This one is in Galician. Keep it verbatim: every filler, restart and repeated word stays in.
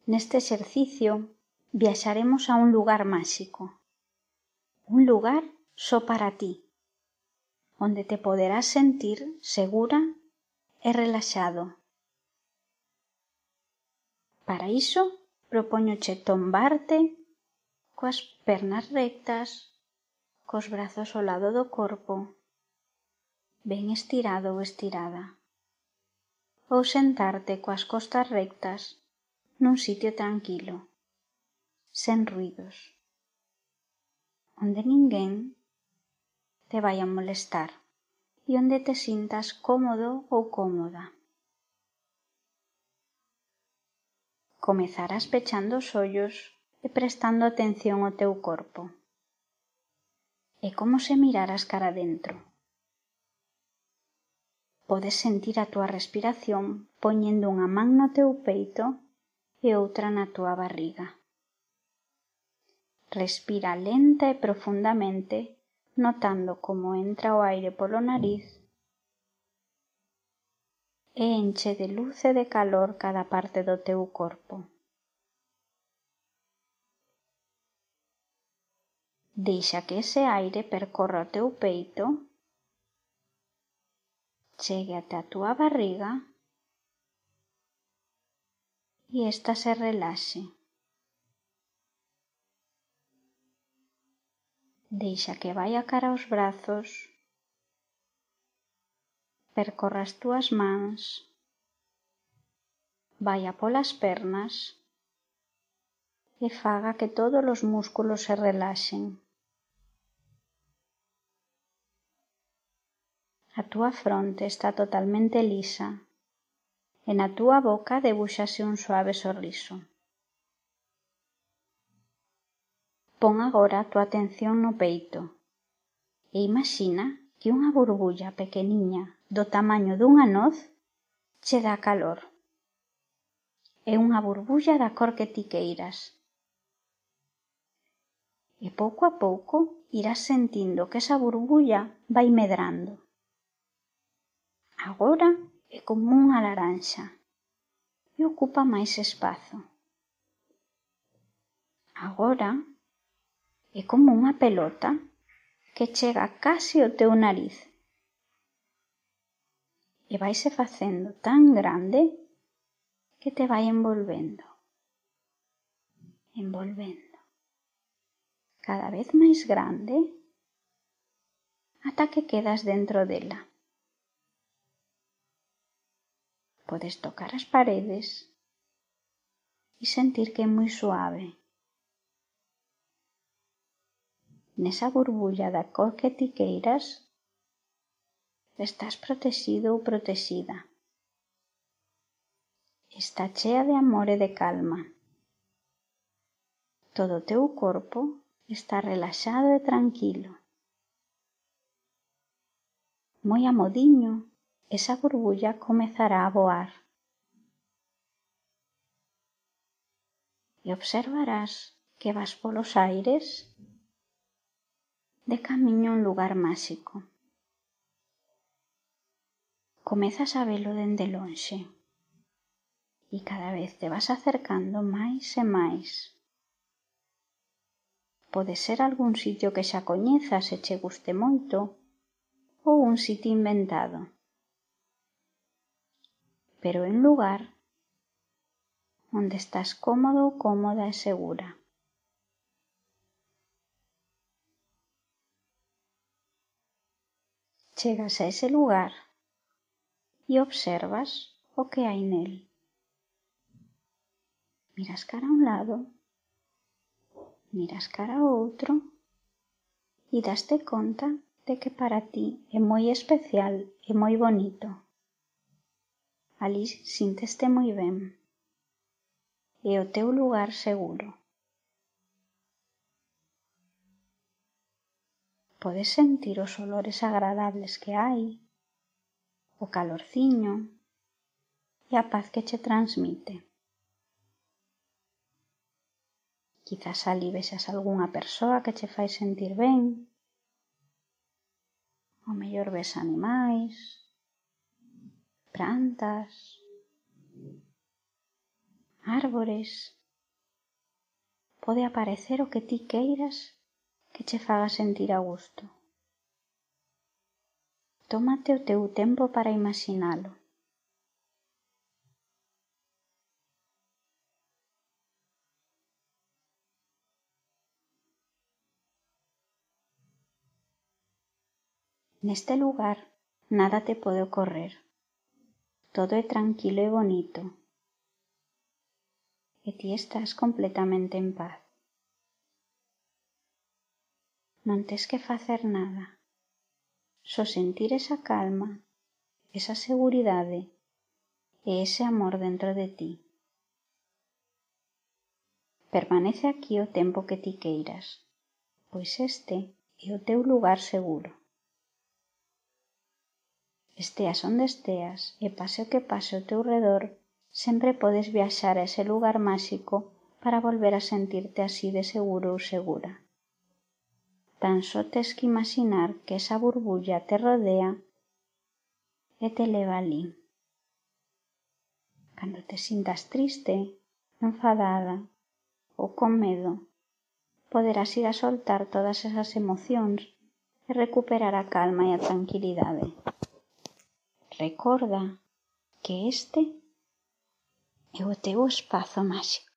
Neste exercicio viaxaremos a un lugar máxico, un lugar só para ti, onde te poderás sentir segura e relaxado. Para iso, propóñoche tombarte coas pernas rectas, cos brazos ao lado do corpo, ben estirado ou estirada, ou sentarte coas costas rectas nun sitio tranquilo, sen ruidos, onde ninguén te vai a molestar e onde te sintas cómodo ou cómoda. Comezarás pechando os ollos e prestando atención ao teu corpo. É como se miraras cara dentro. Podes sentir a túa respiración poñendo unha man no teu peito e outra na túa barriga. Respira lenta e profundamente, notando como entra o aire polo nariz e enche de luz e de calor cada parte do teu corpo. Deixa que ese aire percorra o teu peito, chegue até a túa barriga e esta se relaxe. Deixa que vaia cara aos brazos, percorra as túas mans, vaia polas pernas e faga que todos os músculos se relaxen. A túa fronte está totalmente lisa e na túa boca debúxase un suave sorriso. Pon agora a túa atención no peito e imaxina que unha burbulla pequeniña do tamaño dunha noz che dá calor. É unha burbulla da cor que ti queiras. E pouco a pouco irás sentindo que esa burbulla vai medrando. Agora é como unha laranxa e ocupa máis espazo. Agora é como unha pelota que chega case ao teu nariz e vaise facendo tan grande que te vai envolvendo, envolvendo, cada vez máis grande ata que quedas dentro dela. Podes tocar as paredes e sentir que é moi suave. Nesa burbulla da cor que ti queiras, estás protexido ou protexida. Está chea de amor e de calma. Todo o teu corpo está relaxado e tranquilo. Moi amodiño, esa burbulla comezará a voar. E observarás que vas polos aires de camiño a un lugar máxico. Comezas a velo dende lonxe e cada vez te vas acercando máis e máis. Pode ser algún sitio que xa coñezas e che guste moito ou un sitio inventado. Pero é un lugar onde estás cómodo, cómoda e segura. Chegas a ese lugar e observas o que hai nel. Miras cara a un lado, miras cara a outro e daste conta de que para ti é moi especial e moi bonito. Alí sínteste moi ben. É o teu lugar seguro. Podes sentir os olores agradables que hai, o calorciño e a paz que che transmite. Quizás alí vexas algunha persoa que che fai sentir ben, ou mellor ves animais, plantas, árbores. Pode aparecer o que ti queiras que che faga sentir a gusto. Tómate o teu tempo para imaxinalo. Neste lugar nada te pode ocorrer. Todo é tranquilo e bonito. E ti estás completamente en paz. Non tes que facer nada. Só sentir esa calma, esa seguridade e ese amor dentro de ti. Permanece aquí o tempo que ti queiras, pois este é o teu lugar seguro. Esteas onde esteas e pase o que pase ao teu redor, sempre podes viaxar a ese lugar máxico para volver a sentirte así de seguro ou segura. Tan só tes que imaxinar que esa burbulla te rodea e te leva alí. Cando te sintas triste, enfadada ou con medo, poderás ir a soltar todas esas emocións e recuperar a calma e a tranquilidade. Recorda que este é o teu espazo máxico.